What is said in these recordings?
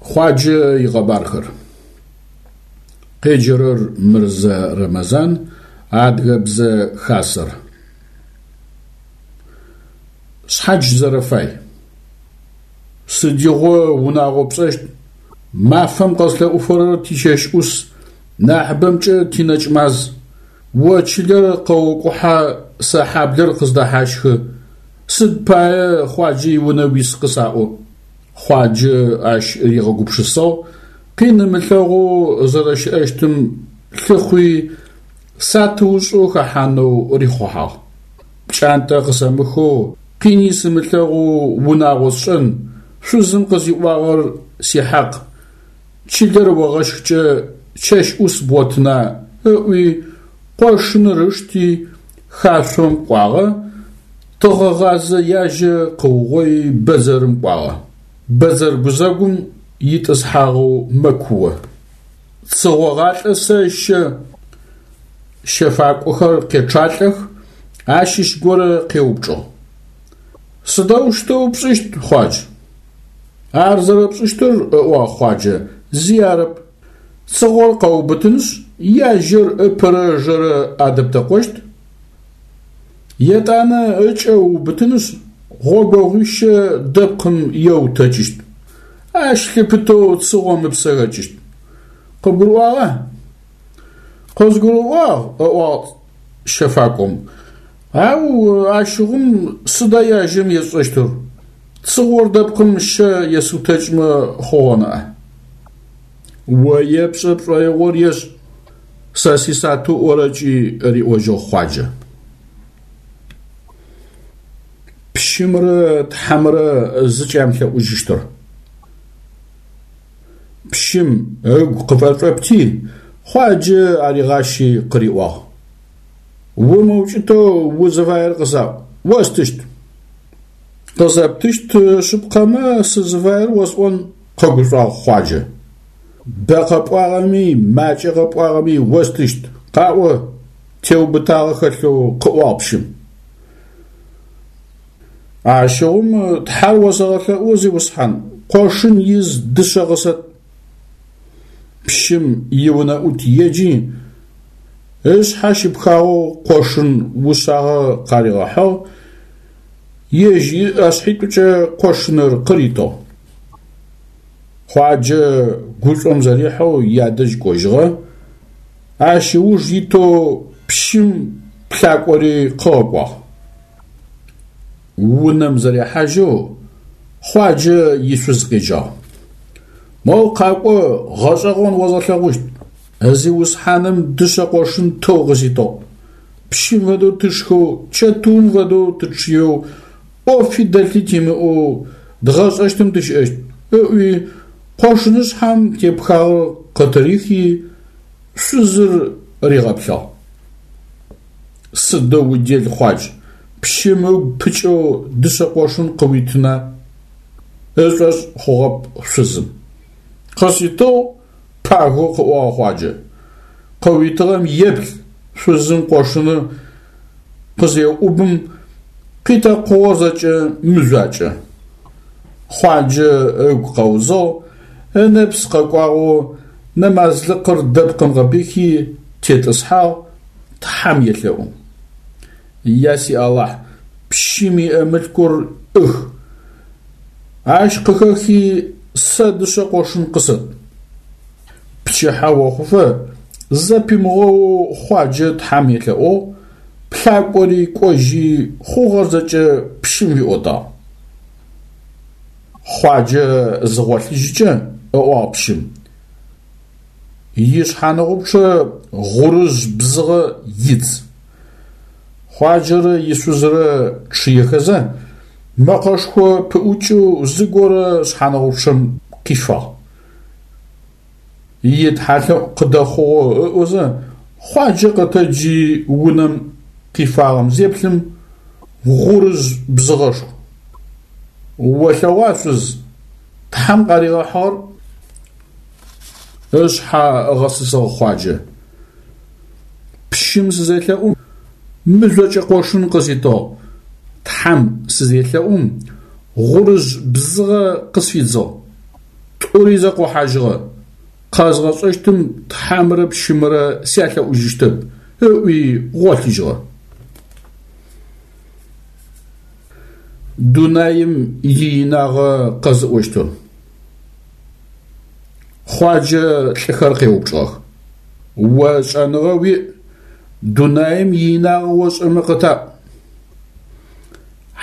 Хъуаджэ икъэбархэр. Къеджэрэр Мырзэ Рэмэзан, Адыгэбзэ Хасэр. Шъхьадж зэрэфай. Сыдигъо унагъо пшӏэщт? Мафэм къэслъэӏуфэрэр тичэщ ӏус, нахьыбэмкӏэ тинэкӏмаз. О чылэр къэокӏухьэ, сэ хьаблэр къыздэхьащхы. Сыд пае Хъуаджэ иунэ уис къысаӏо? Хъуаджэ ащ ригъэгупшысагъ, къин ымылъэгъоу зэрэщыӏэщтым лъыхъуи, сатыушӏэу хэхьанэу рихъухьагъ. Пкӏантӏэ къысэмыхэу, къини сымылъэгъоу унагъо сшӏэн, шъузым къызиӏуагъэр сихьакъ, чылэр огъэщхкӏэ чэщ ӏус бгъотына ыӏуи, къошыныр ышти, хашъом кӏуагъэ, тыгъэгъазэ яжьэ къыугъои бэдзэрым кӏуагъэ. Бэдзэр гузэгум итӏысхьагъэу мэкуо. Цыгъогъалӏэ сэщэ, щэфакӏохэр къечъалӏэх, ащыщ горэ къеупчӏыгъ. Сыдэущтэу пшӏыщт, Хъуадж? Ар зэрэпшӏыщтыр, ыӏуагъ Хъуаджэ, зи арэп. Цыгъор къэуубытынышъ, яжьэр ыпэрэ ыжэрэ адэптэкъощт. Етӏанэ ыкӏэ ыубытынышъ, гъогогъуищэ дэпкъым еутэкӏыщт. Ащ лъыпытэу цыгъом ыпсэ хэкӏыщт. Къыбгурыӏуагъа? Къызгурыӏуагъ, ыӏуагъ щэфакӏом. Ау ащыгъум сыда яжьэм есшӏэщтыр? Цыгъор дэпкъым щэ есыутэкӏмэ хъугъэ ныӏа? О епшӏэ пшӏоигъор ешӏ, сэ сисатыу ӏорэкӏи, риӏожьыгъ Хъуаджэ. Пщымрэ Тхьэмрэ зыкӏямылъэӏужьыщтыр. Пщым ыгу къыфэшӏопти, Хъуаджэ аригъащи къыриӏуагъ. Умыукӏытэу узыфаер къысаӏу, остыщт. Къызэптыщт шъыпкъэмэ, сызыфаер осӏон, къэгушӏуагъ Хъуаджэ. Бэ къэпӏуагъэми, макӏэ къэпӏуагъэми остыщт, къаӏо, теубытагъэ хэлъэу къыӏуагъ пщым. Ащыгъум Тхьэр осэгъэлъэӏу, зиусхьан, къошын из дышъэ къысэт. Пщым иунэӏут еджи, ышъхьэ щыпхагъэу къошын ушъагъэ къаригъэхьыгъ, ежь ыӏэшъхьитӏукӏэ къошыныр къыритыгъ. Хъуаджэ гушӏом зэрихьэу ядэжь кӏожьыгъэ, ащ ыуж итэу пщым плъакӏори къыгъэкӏуагъ. Унэм зэрехьажьэу Хъуаджэ ишъуз къеджагъ. Моу къакӏо, гъэшӏэгъон озгъэлъэгъущт. Зиусхьаным дышъэ къошын тэу къыситыгъ. Пщым фэдэу тышхэу, чэтыум фэдэу тычъыеу, ӏофи дэлъи тимыӏэу дгъэшӏэщтым тыщыӏэщт, ыӏуи, къошынышъхьэм тепхагъэр къытырихи, шъузыр ригъэплъыгъ. Сыдэу удел, Хъуадж, пщым ыгу пыкӏэу дышъэ къошын къыуитына? Ышӏошъ хъугъэп шъузым. Къыситыгъ, пагэу къыӏуагъ Хъуаджэ. Къыуитыгъэм еплъ, шъузым къошыныр къызеӏубым, къитэкъугъэр зэкӏэ мыжъуакӏэ. Хъуаджэ ыгу къэузыгъ, ынэпс къэкӏуагъэу нэмазлыкъыр дэпкъым къыпихи тетӏысхьагъ, Тхьэм елъэӏу. Я си Алахь, пщым иӏэ мылъкур ӏых. Ащ къыхэхи сэ дышъэ къошын къысэт. Пчыхьэ охъуфэ зэпимыгъэоу Хъуаджэ Тхьэм елъэӏугъ, плъакӏори кӏожьи хъугъэр зэкӏэ пщым фиӏотагъ. Хъуаджэ зыгъолъыжькӏэ, ыӏуагъ пщым, ишъхьаныгъупчъэ гъурыжъ бзыгъэ идз. Хъуаджэрэ ишъузрэ чъыехэзэ, мэкъэшхо пыӏукӏэу зыгорэ шъхьаныгъупчъэм къифагъ. Итхьалъэӏу къыдэхъугъэу ыӏозэ, Хъуаджэ къэтэджи унэм къифагъэм зеплъым, гъурыжъ бзыгъэшху. Олъэгъуа, шъуз, Тхьэм къаригъэхьыгъэр? Ышъхьэ ыгъэсысыгъ Хъуаджэ. Пщым сызелъэӏум, мыжъокӏэ къошын къыситыгъ. Тхьэм сызелъэӏум, гъурыжъ бзыгъэ къысфидзыгъ. Тӏури зэкъохьажьыгъэ. Къэзгъэшӏэщтым Тхьэмрэ пщымрэ сялъэӏужьыщтэп, ыӏуи гъолъыжьыгъэ. Дунаим иинагъэ къэзыӏощтыр. Хъуаджэ лӏыхэр къеупчӏыгъэх. О шӏэныгъэ уиӏ, дунаим иинагъэ ошӏэмэ къытаӏу.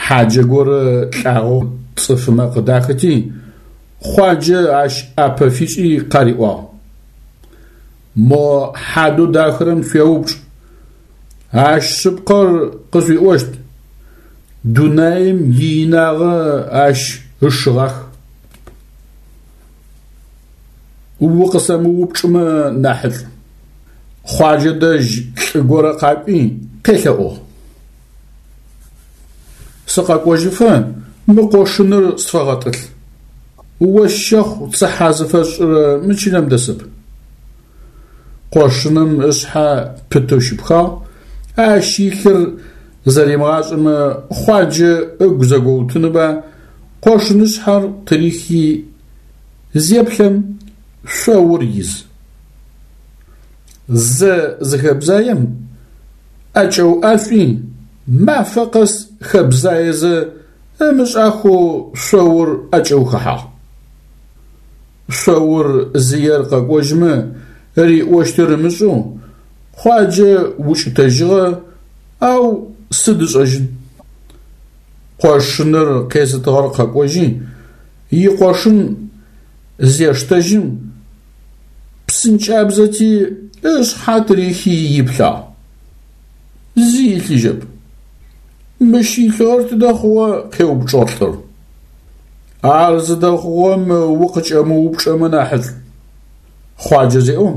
Хьаджэ горэ лӏагъэу цӏыфымэ къыдахыти, Хъуаджэ ащ ӏапэ фишӏи къариӏуагъ. Мо хьадэу дахырэм шъуеупчӏ, ащ шъыпкъэр къышъуиӏощт, дунаим иинагъэ ащ ышыгъах. Укъысэмыупчӏымэ нахьышӏу. Хъуаджэ дэжь лӏы горэ къакӏуи къелъэӏугъ. Сыкъэкӏожьыфэ мы къошыныр сфэгъэтӏылъ. Ощ щэхъу цыхьэ зыфэсшӏырэ мы чылэм дэсэп. Къошыным ышъхьэ пытэу щыпхагъ, ащ илъыр зэримыгъашӏэмэ Хъуаджэ ыгу зэгоутынба, къошынышъхьэр тырихи зеплъэм, шъоур из. Зэ зыхэбзаем, ӏэкӏэуӏашӏуи, мафэ къэс хэбзаезэ ымышӏахэу шъоур ӏэкӏэухэхьагъ. Шъоур зыер къэкӏожьмэ риӏощтыр ымышӏэу, Хъуаджэ укӏытэжьыгъэ, ау сыд ышӏэжьын. Къошыныр къезытыгъэр къэкӏожьи, икъошын зештэжьым, псынкӏабзэти ышъхьэ тырихи иплъагъ. Зи илъыжьэп. Мыщ илъыгъэр тыдэ хъугъэ? къеупчӏыгъ лӏыр. Ар зыдэхъугъэм укъыкӏэмыупчӏэмэ нахьышӏу. Хъуаджэ зеӏом,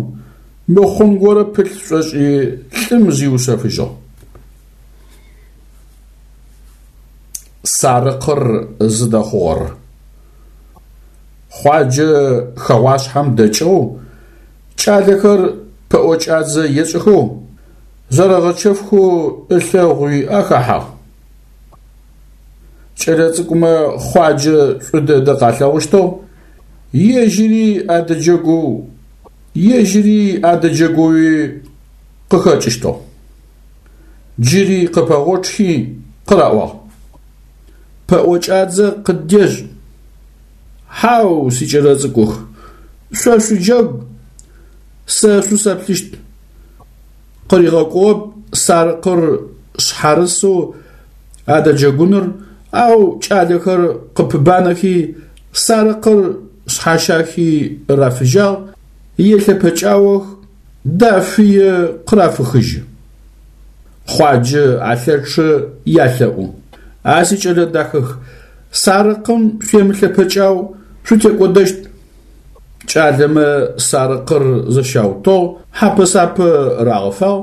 мыхъун горэ пылъ шӏошӏи лӏым зиушъэфыжьыгъ. Сарыкъыр зыдэхъугъэр. Хъуаджэ хэгъуашъхьэм дэкӏыгъэу, кӏалэхэр пэӏокӏадзэ ешӏыхэу, зэрэгъэчэфхэу ылъэгъуи ахэхьагъ. Кӏэлэцӏыкӏумэ Хъуаджэ шӏу дэдэ къалъэгъущтыгъ, ежьыри адэджэгоу, ежьыри адэджэгоуи къыхэкӏыщтыгъ. Джыри къыпэгъочъхи къыраӏуагъ. Пэӏокӏадзэ къыддешӏ. Хьау, сикӏэлэцӏыкӏух, шъо шъуджэгу, сэ шъусэплъыщт. Къыригъэкӏугъэп сарыкъыр шъхьарысэу адэджэгуныр, ау кӏалэхэр къыпыбанэхи, сарыкъыр шъхьащахи рафыжьагъ, елъэпэкӏаох, дафые къырафыхыжьы. Хъуаджэ алъэчъэ ялъэӏу. А сикӏэлэ дахэх, сарыкъым шъуемылъэпэкӏау, шъутекӏодэщт. Кӏалэмэ сарыкъыр зэщаутыгъ, хьапэ-сапэ рагъэфагъ,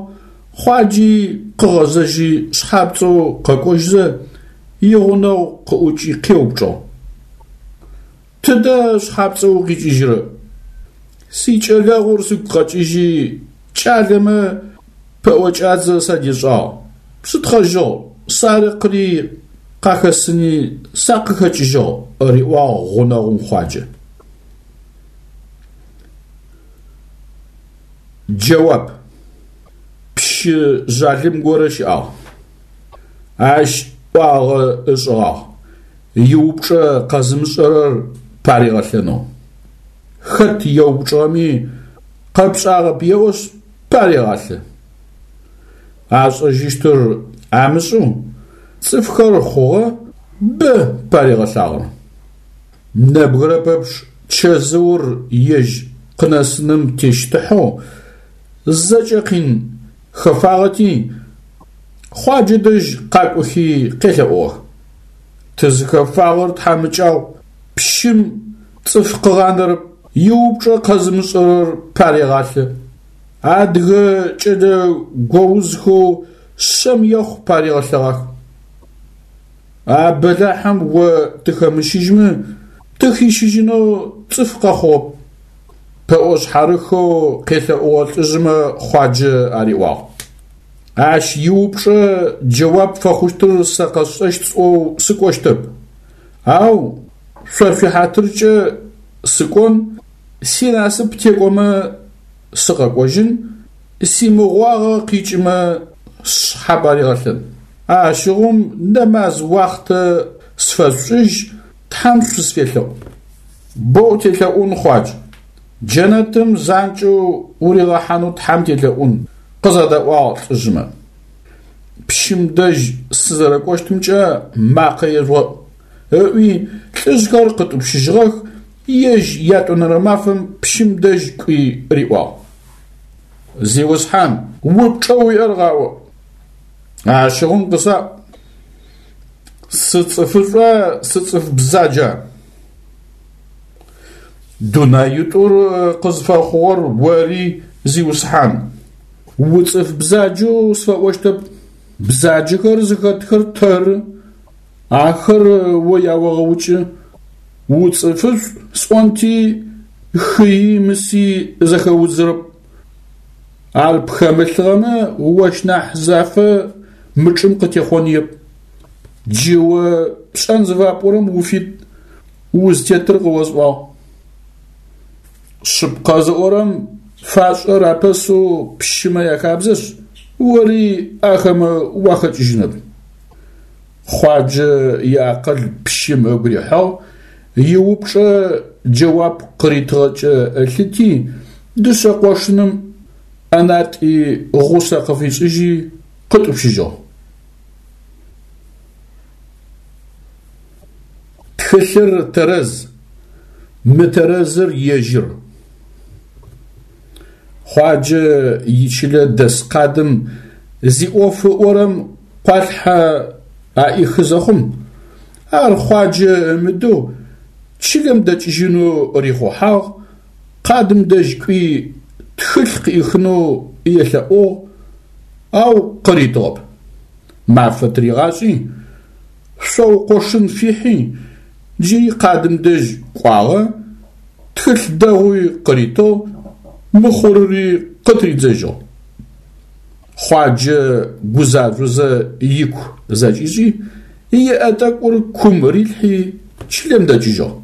Хъуаджи къыгъэзэжьи шъхьапцӏэу къэкӏожьзэ, игъунэгъу къыӏукӏи къеупчӏыгъ. Тыдэ шъхьапцӏэу укъикӏыжьрэ? Сикӏэлэгъур сыгу къэкӏыжьи, кӏалэмэ пэӏокӏадзэ садешӏагъ, сытхъэжьыгъ, сарыкъри къахэсыни сакъыхэкӏыжьыгъ, риӏуагъ гъунэгъум Хъуаджэ. Джэуап. Пщы жъалым горэ щыӏагъ. Ащ ӏуагъэ ышӏыгъагъ. Иупчӏэ къэзымышӏэрэр паригъэлъэнэу. Хэт еупчӏыгъэми, къэпшӏагъэп еӏошъ, парегъалъэ. Ашӏэжьыщтыр амышӏэу, цӏыфхэр хъугъэ, бэ паригъэлъагъэр. Нэбгырэ пэпчъ чэзыур ежь къынэсыным тещтыхьэу, зэкӏэ къин хэфагъэти, Хъуаджэ дэжь къакӏохи къелъэӏугъэх. Тызыхэфагъэр тхьамыкӏагъу, пщым цӏыф къыгъанэрэп, иупчӏэ къэзымышӏэрэр парегъалъэ. Адыгэ кӏэлэ гоузхэу шъэм ехъу паригъэлъэгъах. А бэлахьым о тыхэмыщыжьмэ, тыхищыжьынэу цӏыф къэхъугъэп. Пэӏо шъхьарыхэу къелъэӏугъэ лӏыжъмэ Хъуаджэ ариӏуагъ. Ащ иупчӏэ джэуап фэхъущтыр сэ къэсшӏэщт сӏоу сыкӏощтэп, ау шъо шъуихьатыркӏэ сыкӏон, синасып текӏомэ сыкъэкӏожьын, симыгъуагъэ къикӏымэ сшъхьэ баригъэлъын. Ащыгъум нэмаз уахътэ сфэшъушӏыжь, Тхьэм шъусфелъэӏу. Боу телъэӏун, Хъуадж. Джэнэтым занкӏэу уригъэхьанэу Тхьэм телъэӏун, къызэдэӏуагъ лӏыжъмэ. Пщым дэжь сызэрэкӏощтымкӏэ макъэ ежъугъэӏу, ыӏуи лӏыжъхэр къытӏупщыжьыгъэх, ежь ятӏонэрэ мафэм пщым дэжь кӏуи риӏуагъ. Зиусхьан, упчӏэу уиӏэр къаӏо. Ащыгъум къысаӏу, сыцӏыфышӏуа, сыцӏыф бзаджа? Дунаитӏур къызфэхъугъэр ори, Зиусхьан. Уцӏыф бзаджэу сфэӏощтэп, бзаджэхэр зыхэтхэр тэры, ахэр о яогъэукӏы. Уцӏыфышӏу сӏонти, хыи мыси зэхэудзырэп. Ар пхэмылъыгъэмэ, ощ нахь зафэ мы чӏым къытехъоныеп. Джы о пшӏэн зыфапӏорэм уфит, узтетыр къыосӏуагъ. Шъыпкъэ зыӏорэм фашӏэр апэсэу пщымэ яхабзэшъ, ори ахэмэ уахэкӏыжьынэп. Хъуаджэ иакъыл пщым ыгу рихьыгъ, иупчӏэ джэуап къыритыгъэкӏэ ылъыти, дышъэ къошыным ӏэнатӏи гъусэ къыфишӏыжьи къытӏупщыжьыгъ. Тхылъыр тэрэз, мытэрэзыр ежьыр. Хъуаджэ ичылэ дэс къадым зиӏоф ыӏорэм къуалъхьэ аӏихы зэхъум, ар Хъуаджэ ымыдэу чылэм дэкӏыжьынэу рихъухьагъ, къадым дэжь кӏуи тхылъ къыӏихынэу елъэӏугъ, ау къыритыгъэп. Мафэ тыригъашӏи, шъоу къошын фихьи, джыри къадым дэжь кӏуагъэ, тхылъ дэгъуи къыритыгъ, мыхъурыри къытридзэжьыгъ. Хъуаджэ гузажъозэ ику зэкӏишӏи, иӏэ тӏэкӏур кум рилъхьи, чылэм дэкӏыжьыгъ.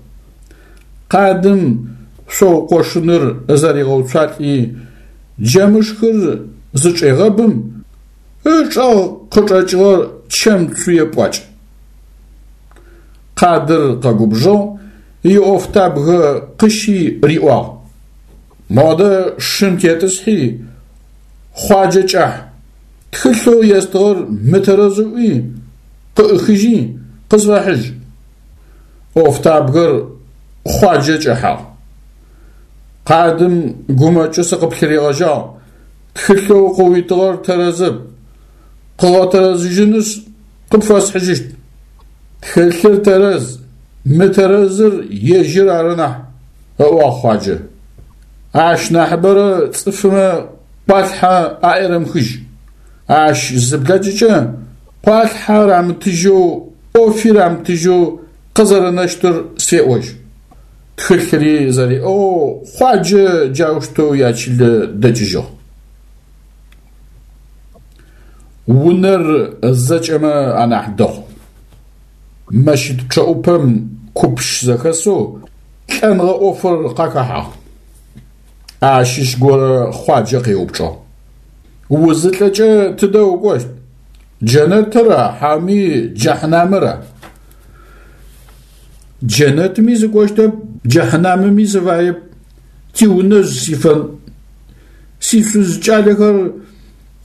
Къадым шъоу къошыныр зэригъэуцуалӏи, джэмышхыр зычӏегъэбым, ычӏэгъ къычӏэкӏыгъэр чэм цуе пӏуакӏ. Къадыр къэгубжыгъ, иӏофтабгэ къыщи риӏуагъ: Модэ шым тетӏысхьи, Хъуаджэ кӏахь, тхылъэу естыгъэр мытэрэз ыӏуи, къыӏыхыжьи, къысфэхьыжь. ӏофтабгэр Хъуаджэ кӏэхьагъ. Къадым гумэкӏэу сыкъыплъыригъэжьагъ, тхылъэу къыуитыгъэр тэрэзэп, къыгъэтэрэзыжьынышъ, къыпфэсхьыжьыщт. Тхылъыр тэрэз, мытэрэзыр ежьыр ары нахь, ыӏуагъ Хъуаджэ. Ащ нахьыбэрэ цӏыфмэ къуалъхьэ аӏерэмыхыжь. Ащ зыблэкӏыкӏэ къуалъхьэ рамытыжьэу, ӏофи рамытыжьэу къызэрэнэщтыр сфеӏожь. Тхылъри зэриӏыгъэу Хъуаджэ джаущтэу ячылэ дэкӏыжьыгъ. Унэр зэкӏэмэ анахь дэгъу. Мэщыт пчъэӏупэм куп щызэхэсэу лӏэныгъэ ӏофыр къахэхьагъ. Ащыщ горэ Хъуаджэ къеупчӏыгъ: Узылӏэкӏэ тыдэ укӏощт? Джэнэтыра хьауми джэхьнамыра? Джэнэтми сыкӏощтэп, джэхьнамыми сыфаеп, тиунэжъ сифэн. Сишъуз кӏалэхэр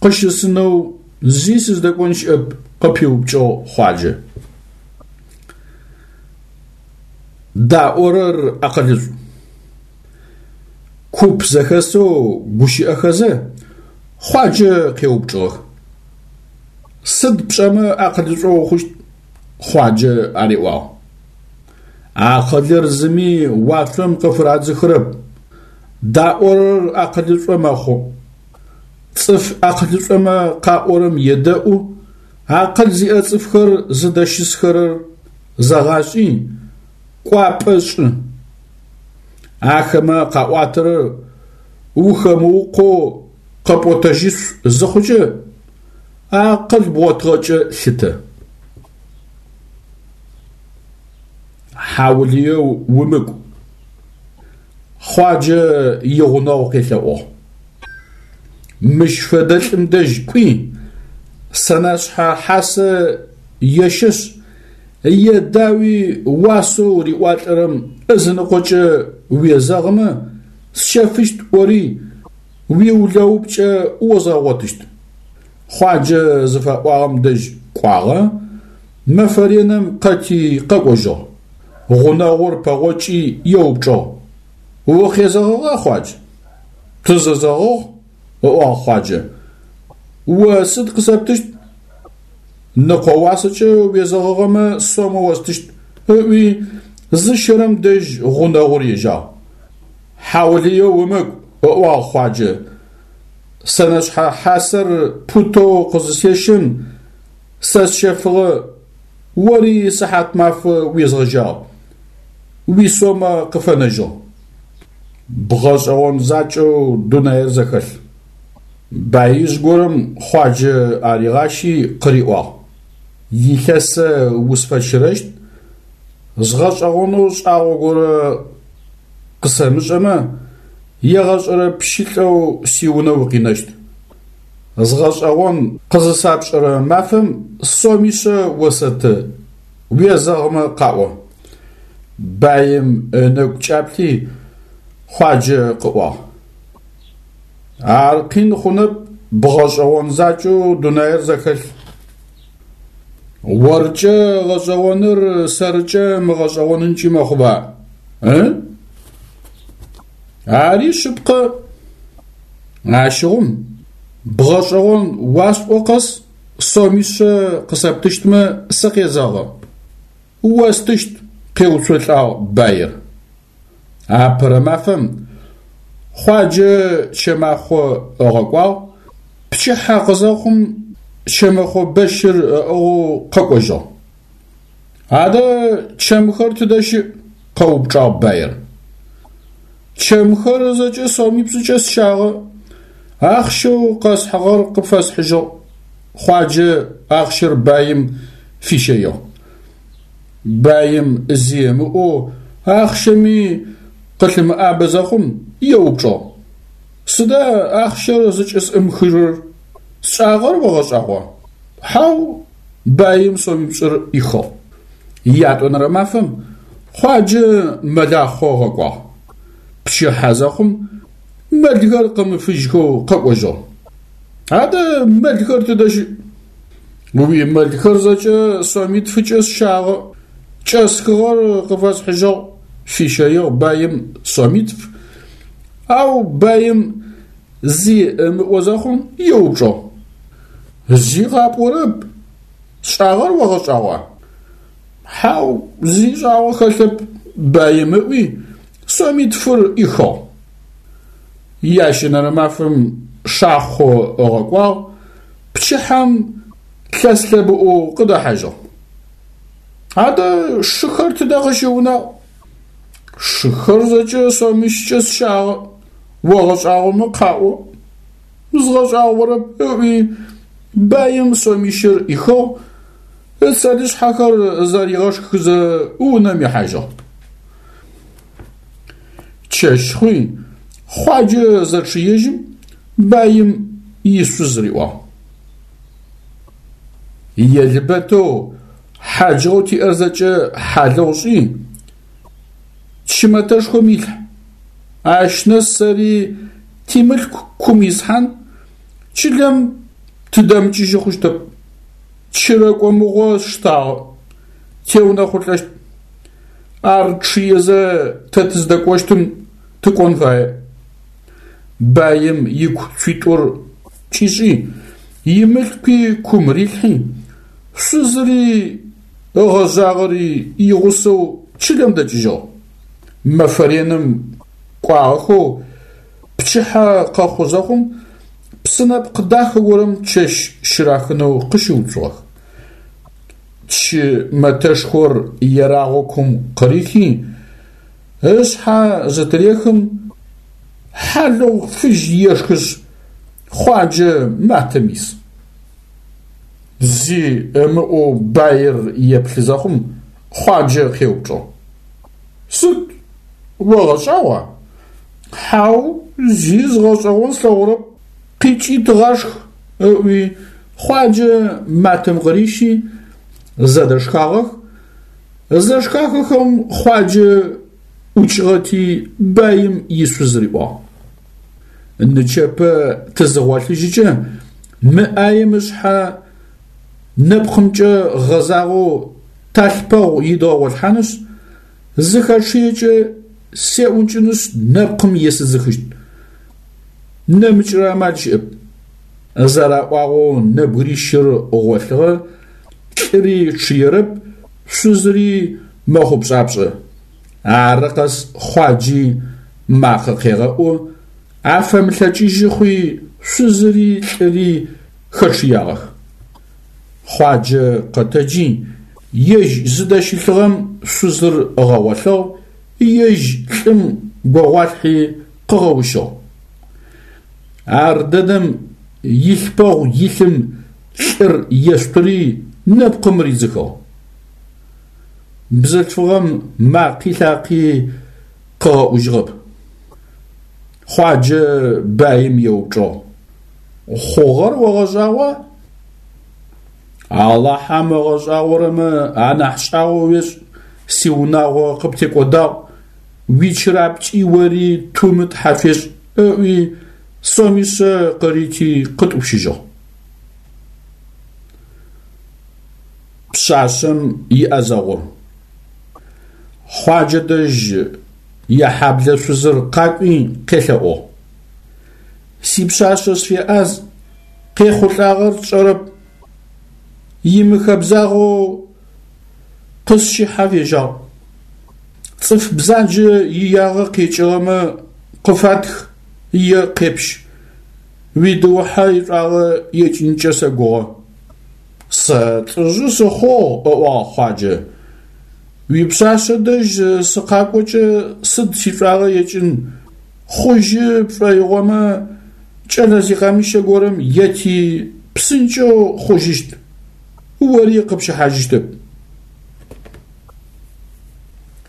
къыщысынэу зи сыздэкӏон щыӏэп, къыпиупкӏыгъ Хъуаджэ. Даӏорэр акъылышӏу. Куп зэхэсэу гущыӏэхэзэ, Хъуаджэ къеупчӏыгъэх. Сыд пшӏэмэ акъылышӏо ухъущт? Хъуаджэ ариӏуагъ. Акъылыр зыми уашъом къыфырадзыхырэп. Даӏорэр акъылышӏо мэхъу. Цӏыф акъылышӏомэ къаӏорэм едэӏу, акъыл зиӏэ цӏыфхэр зыдэщысхэрэр зэгъашӏи, кӏуапӏэ шӏы. Ахэмэ къаӏуатэрэр ухэмыукъоу къэпӏотэжьышъу зыхъукӏэ, акъыл бгъотыгъэкӏэ лъытэ. Хьаулыеу умыкӏу. Хъуаджэ игъунэгъу къелъэӏугъ. Мыщ фэдэ лӏым дэжь кӏуи, сэнэшъхьэ хьасэ ещэшъ, едауи уасэу риӏуалӏэрэм ызыныкъокӏэ уезэгъымэ, сщэфыщт ӏори, уиулэупкӏэ озгъэгъотыщт. Хъуаджэ зыфаӏуагъэм дэжь кӏуагъэ, мэфэ реным къэти къэкӏожьыгъ. Гъунэгъур пэгъокӏи еупчӏыгъ: Укъезэгъыгъа, Хъуадж? Тызэзэгъыгъ, ыӏуагъ Хъуаджэ. О сыд къысэптыщт? Ныкъо уасэкӏэ уезэгъыгъэмэ сомэ остыщт, ыӏуи, зыщэрэм дэжь гъунэгъур ежьагъ. Хьаулыеу умыкӏу, ыӏуагъ Хъуаджэ. Сэнэшъхьэ хьасэр путэу къызысещэм, сэ сщэфыгъэ, ори сыхьатмафэ уезгъэжьагъ, уисомэ къыфэнэжьыгъ. Бгъэшӏэгъон закӏэу дунаир зэхэлъ. Баижъ горэм Хъуаджэ аригъащи къыриӏуагъ: Илъэсэ усфэщырэщт, згъэшӏэгъонэу шӏагъо горэ къысэмышӏэмэ, егъэшӏэрэ пщылӏэу сиунэ укъинэщт. Згъэшӏэгъон къызысапшӏэрэ мафэм сомишъэ осэты, уезэгъымэ къаӏо. Баим ынэгу кӏаплъи, Хъуаджэ къыӏуагъ. Ар къин хъунэп, бгъэшӏэгъон закӏэу дунаир зэхэлъ. Оркӏэ гъэшӏэгъоныр сэркӏэ мыгъэшӏэгъонынкӏи мэхъуба, ы? Ари шъыпкъэ. Ащыгъум, бгъэшӏэгъон уасӏо къэс сомишъэ къысэптыщтмэ сыкъезэгъы. Остыщт, къеуцолӏагъ баир. Апэрэ мафэм Хъуаджэ чэмахъо ыгъэкӏуагъ, пчыхьэ къызэхъум чэмэхъо бэщыр ыӏыгъэу къэкӏожьыгъ. Адэ чэмхэр тыдэ щыӏ? къэупчӏагъ баир. Чэмхэр зэкӏэ сомипшӏыкӏэ сщагъэ, ахъщэу къэсхьыгъэр къыпфэсхьыжьыгъ, Хъуаджэ ахъщэр баим фищэигъ. Баим зи ымыӏоу ахъщэми къылъымыӏабэ зэхъум, еупчӏыгъ: Сыда ахъщэр зыкӏысӏымыхырэр? Сшӏагъэр огъэшӏагъуа? Хьау, баим сомипшӏыр ӏихыгъ. Ятӏонэрэ мафэм Хъуаджэ мэлахъо ыгъэкӏуагъ. Пчыхьэ зэхъум мэлхэр къымыфыжьхэу къэкӏожьыгъ. Адэ мэлхэр тыдэ щыӏ? Уимэлхэр зэкӏэ сомитфыкӏэ сщагъэ, кӏэсхыгъэр къыфэсхьыжьыгъ, фищэигъ баим сомитф, ау баим зи ымыӏо зэхъум еупчӏыгъ. Зи къапӏорэп, сшӏагъэр огъэшӏагъуа? Хьау, зи шӏагъо хэлъэп, баим ыӏуи, сомитфыр ӏихыгъ. Ящэнэрэ мафэм шахъо ыгъэкӏуагъ, пчыхьэм лъэс-лъэбыӏоу къыдэхьажьыгъ. Адэ шыхэр тыдэ къыщыунагъ? Шыхэр зэкӏэ сомищкӏэ сщагъэ, огъэшӏагъомэ къаӏо. Згъэшӏагъорэп, ыӏуи, баим сомищыр ӏихыгъ, ыцэлышъхьэхэр зэригъэшхызэ унэм ихьажьыгъ. Чэщ хъуи, Хъуаджэ зэчъыежьым, баим ишъуз риӏуагъ. Елбэтэу хьаджыгъэу тиӏэр зэкӏэ хьалыгъу шӏи, чымэтэшхом илъхь. Ащ нэс сэри тимылъку кум исхьан, чылэм тыдэмыкӏыжьы хъущтэп. Чырэкӏо мыгъо сштагъэ, теунэхъулӏэщт. Ар чъыезэ тэ тыздэкӏощтым тыкӏон фае. Баим ику цуитӏур кӏишӏи, имылъкуи кум рилъхьи, шъузыри ыгъэжъагъэри игъусэу чылэм дэкӏыжьыгъ. Мэфэ реным кӏуагъэхэу пчыхьэ къэхъу зэхъум, псынэпкъ дахэ горэм чэщ щырахынэу къыщыуцугъэх. Чы мэтэшхор ерагъэу кум къырихи, ышъхьэ зытырехым, хьалыгъу фыжь ешхышъ, Хъуаджэ матэм ис. Зи ымыӏоу баир еплъы зэхъум, Хъуаджэ къеупчӏыгъ. Сыд, огъэшӏагъуа? Хьау, зи згъэшӏэгъон слъэгъурэп, къикӏи тыгъашх, ыӏуи Хъуаджэ матэм къырищи, зэдэшхагъэх. Зэшхахэхэм Хъуаджэ ӏукӏыгъэти баим ишъуз риӏуагъ. Нычэпэ тызыгъолъыжьыкӏэ мы ӏаем ышъхьэ нэпкъымкӏэ гъэзагъэу талъпэгъу идгъэгъолъхьанышъ, зыхэчъыекӏэ сеӏункӏынышъ нэпкъым есыдзыхыщт. Нэмыкӏрэ амал щыӏэп. Зэраӏуагъэу нэбгырищыр гъолъыгъэ, лӏыри чъыерэп, шъузыри мэхъупшӏапшӏэ. Ары къэс Хъуаджи макъэ къегъэӏу, афэмылъэкӏыжьы хъуи шъузыри лӏыри хэчъыягъэх. Хъуаджэ къэтэджи, ежь зыдэщылъыгъэм шъузыр ыгъэгъолъыгъ, ежь лӏым гогъуалъхьи къыгъэущыгъ. Ар дэдэм илъпэгъу илъым лӏыр ешъутыри нэпкъым ридзыхыгъ. Бзылъфыгъэм макъи лъакъи къыгъэӏужьыгъэп. Хъуаджэ баим еупчӏыгъ. Хъугъэр огъэшӏагъуа? Алахьэм ыгъэшӏагъорэмэ анахь шӏагъо уешӏ, сиунагъо къыптекӏодагъ, уичырапкӏи ори тумы тхьэ фешӏ, ыӏуи сомишъэ къырити къытӏупщыжьыгъ. Пшъашъэм иӏэзэгъур. Хъуаджэ дэжь яхьаблэ шъузыр къакӏуи къелъэӏугъ. Сипшъашъэ сфеӏаз, къехъулӏагъэр тшӏэрэп, имыхэбзагъэу къысщыхьэ фежьагъ. Цӏыф бзаджэ иягъэ къекӏыгъэмэ къыфатх е къепщ. Уидыухьэ ишӏуагъэ екӏынкӏэ сэгугъэ. Сэ лӏыжъы сыхъугъ, ыӏуагъ Хъуаджэ. Уипшъашъэ дэжь сыкъакӏокӏэ сыд сишӏуагъэ екӏын, хъужьы пшӏоигъомэ, кӏэлэ зикъэмыщэ горэм ети, псынкӏэу хъужьыщт, ори къыпщыхьажьыщтэп.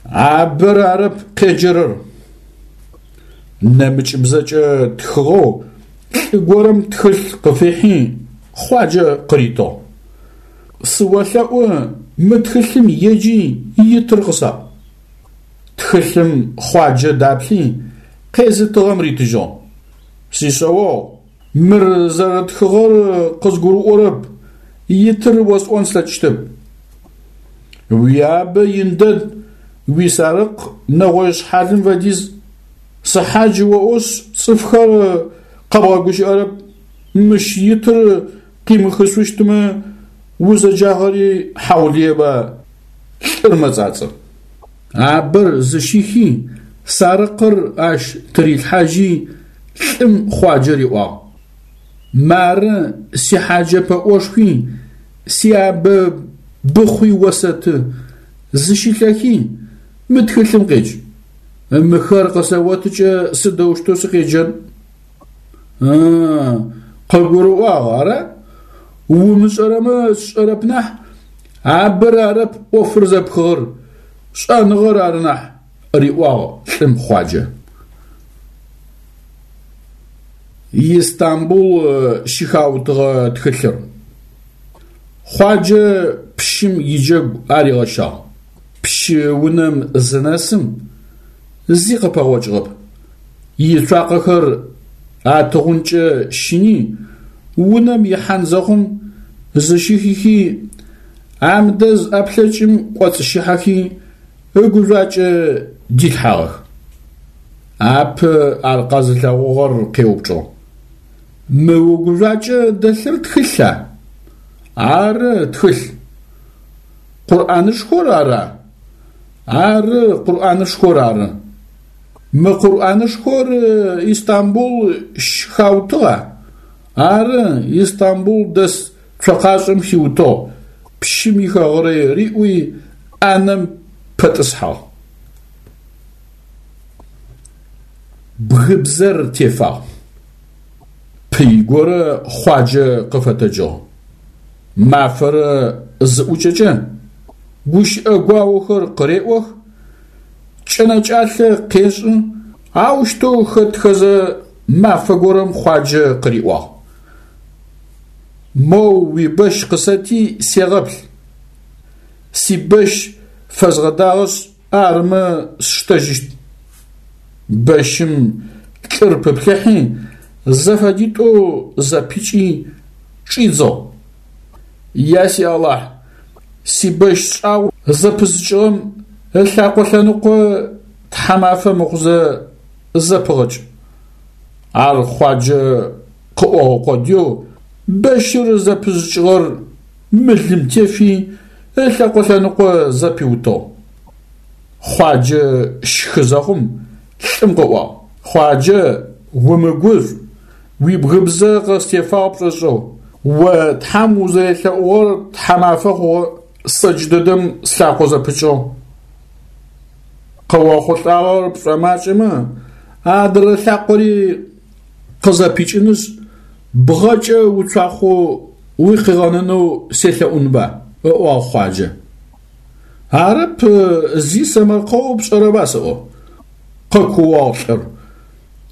Абэр арэп къеджэрэр. Нэмыкӏыбзэкӏэ тхыгъэу лӏы горэм тхылъ къыфихьи, Хъуаджэ къыритыгъ. Сыолъэӏу, мы тхылъым еджи итыр къысаӏу. Тхылъым Хъуаджэ даплъи, къезытыгъэм ритыжьыгъ. Сишъэогъу, мыр зэрэтхыгъэр къызгурыӏорэп, итыр осӏон слъэкӏыщтэп. Уиабэ ин дэд, уисарыкъ нэгъой шъхьалым фэдиз. Сыхьадж оӏошъ, цӏыфхэр къэбгъэгущыӏэрэп. Мыщ итыр къимыхышъущтмэ, узэджагъэри хьаулыеба, лӏыр мэцӏацӏэ. Абэр зыщихи, сарыкъыр ащ тырилъхьажьи, лӏым Хъуаджэ риӏуагъ. Мары сихьаджэ пэӏошхуи, сиабэ быхъуи осэты, зыщылъэхи, мы тхылъым къедж. Мыхэр къысэотыкӏэ сыдэущтэу сыкъеджэн? Ы-ы, къыбгурыӏуагъ, ара? Умышӏэрэмэ сшӏэрэп нахь, абэр арэп ӏофыр зэпхыгъэр, шӏэныгъэр ары нахь, риӏуагъ лӏым Хъуаджэ. Истамбул щыхаутыгъэ тхылъыр. Хъуаджэ пщым иджэгу аригъэщагъ. Пщы унэм зынэсым, зи къыпэгъокӏыгъэп. Ицуакъэхэр атыгъункӏэ щыни, унэм ихьан зэхъум, зыщихихи, амдэз ӏэплъэкӏым кӏоцӏыщыхьэхи, ыгужъуакӏэ дилъхьагъэх. Апэ ар къэзылъэгъугъэр къеупчӏыгъ. Мы угужъуакӏэ дэлъыр тхылъа? Ары, тхылъ. Къурӏанышхор ара? Ары, Къурӏанышхор ары. Мы Къурӏанышхор Истамбул щыхаутыгъа? Ары, Истамбул дэс цокъашӏэм хиутыгъ, пщым ихэгърэй риӏуи, ӏанэм пэтӏысхьагъ. Бгыбзэр тефагъ. Пый горэ Хъуаджэ къыфэтэджыгъ. Мафэрэ зыӏукӏэкӏэ, гущыӏэ гуаохэр къыреӏох, кӏэнэкӏалъэ къешӏы. Аущтэу хэтхэзэ мафэ горэм Хъуаджэ къыриӏуагъ: Моу уибэщ къысэти сегъэплъ. Сибэщ фэзгъэдагъэшъ, арымэ сштэжьыщт. Бэщым лӏыр пыплъыхьи, зэфэдитӏоу зэпикӏи, чӏидзыгъ. Я си Алахь, сибэщ шӏагъо зэпызыкӏыгъэм ылъакъо лъэныкъо тхьамафэ мыхъузэ зэпыгъэкӏ. Ар Хъуаджэ къыӏогъэ къодыеу бэщыр зэпызыкӏыгъэр мылым тефи, ылъэкъо лъэныкъо зэпиутыгъ. Хъуаджэ щхы зэхъум, лӏым къыӏуагъ: Хъуаджэ, умыгушӏу, уибгыбзэ къыстефагъ пшӏошӏэу. О Тхьэм узэрелъэӏугъэр тхьамафэ хъугъэ, сэ джыдэдэм слъакъо зэпыкӏыгъ. Къыохъулӏагъэр пшӏомакӏэмэ, адрэ лъакъори къызэпикӏынышъ, бгъэкӏэ уцуахъоу уикъигъэнэнэу селъэӏунба? ыӏуагъ Хъуаджэ. Арэп, зи сэмэркъэу пшӏэрэба сэӏо? Къэкууагъ лӏыр.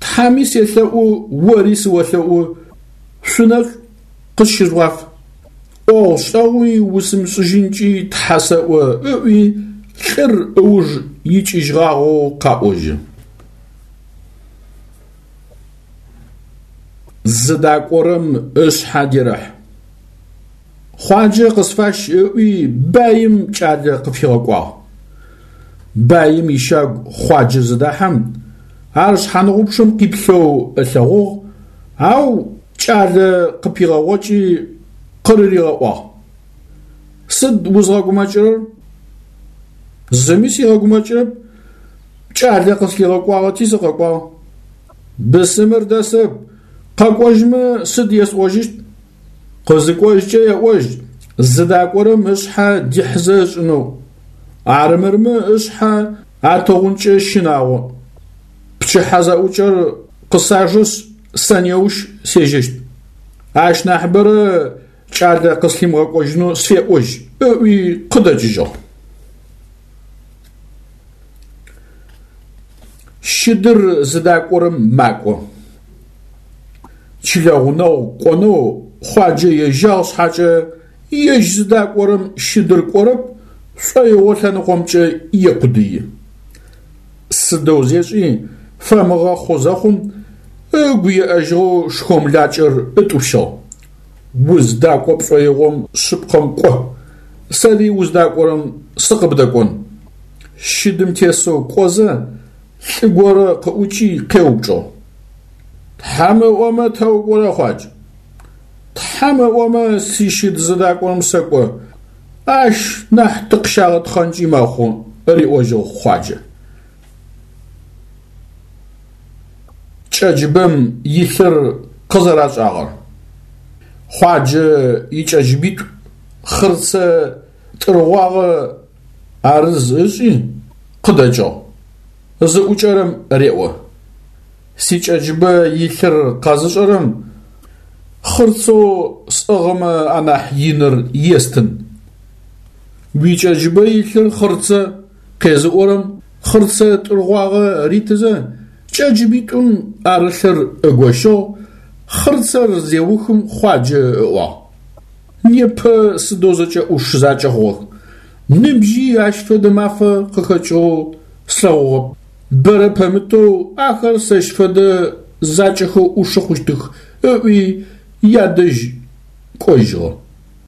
Тхьэми селъэӏу, ори сыолъэӏу, шъунэшӏу къысщыжъугъаф. ӏогъу-шӏэгъуи усымышӏыжьынкӏи Тхьэ сэӏо, ыӏуи лӏыр ыуж икӏыжьыгъагъэу къаӏожьы. Зыдакӏорэм ышъхьэ дерэхь. Хъуаджэ къысфащ ыӏуи баим кӏалэ къыфигъэкӏуагъ. Баим ищагу Хъуаджэ зыдахьэм, ар шъхьаныгъупчъэм къиплъэу ылъэгъугъ, ау кӏалэ къыпигъэгъокӏи къырыригъэӏуагъ: Сыд узгъэгумэкӏырэр? Зыми сигъэгумэкӏырэп, кӏалэ къыслъигъэкӏуагъэти сыкъэкӏуагъ. Бысымыр дэсэп, къэкӏожьмэ сыд есӏожьыщт? Къызыкӏожькӏэ еӏожь, зыдакӏорэм ышъхьэ дихьызэ ышӏынэу, арымырмэ ышъхьэ атыгъункӏэ щынагъо. Пчыхьэ зэӏукӏэр къысажэшъ, сэ неущ сежьэщт. Ащ нахьыбэрэ кӏалэ къыслъимыгъэкӏожьынэу сфеӏожь, ыӏуи къыдэкӏыжьыгъ. Щыдыр зыдакӏорэм макӏо. Чылэ гъунэгъу кӏонэу Хъуаджэ ежьагъ шъхьакӏэ, ежь зыдакӏорэм щыдыр кӏорэп, шӏоигъо лъэныкъомкӏэ екъудыи. Сыдэу зешӏи, фэмыгъэхъу зэхъум, ыгу еӏэжьыгъэу шхомлакӏэр ытӏупщыгъ. Уздакӏо пшӏоигъом шъыпкъэм кӏо, сэри уздакӏорэм сыкъыбдэкӏон. Щыдым тесэу кӏозэ, лӏы горэ къыӏукӏи къеупчӏыгъ. Тхьэм ыӏомэ тэ укӏорэ, Хъуадж? Тхьэм ыӏомэ сищыд зыдакӏорэм сэкӏо, ащ нахь тыкъыщагъэтхъэнкӏи мэхъу, риӏожьыгъ Хъуаджэ. Кӏэджыбэм илъыр къызэрашӏагъэр. Хъуаджэ икӏэджыбитӏу хъырцэ тӏыргъуагъэ арыз ышӏи, къыдэкӏыгъ. Зыӏукӏэрэм реӏо. Сикӏэджыбэ илъыр къэзышӏэрэм хъырцэу сӏыгъымэ анахь иныр естын. Уикӏэджыбэ илъыр хъырцэ къезыӏорэм хъырцэ тӏыргъуагъэ ритызэ, кӏэджыбитӏум арылъыр ыгощыгъ, хъырцэр зеухым Хъуаджэ ыӏуагъ. Непэ сыдэу зэкӏэ ӏуш закӏэ хъугъэх. Ныбжьи ащ фэдэ мафэ къыхэкӏыгъэу слъэгъугъэп. Бэрэ пэмытэу ахэр сэщ фэдэ закӏэхэу ӏушы хъущтых, ыӏуи ядэжь кӏожьыгъэ.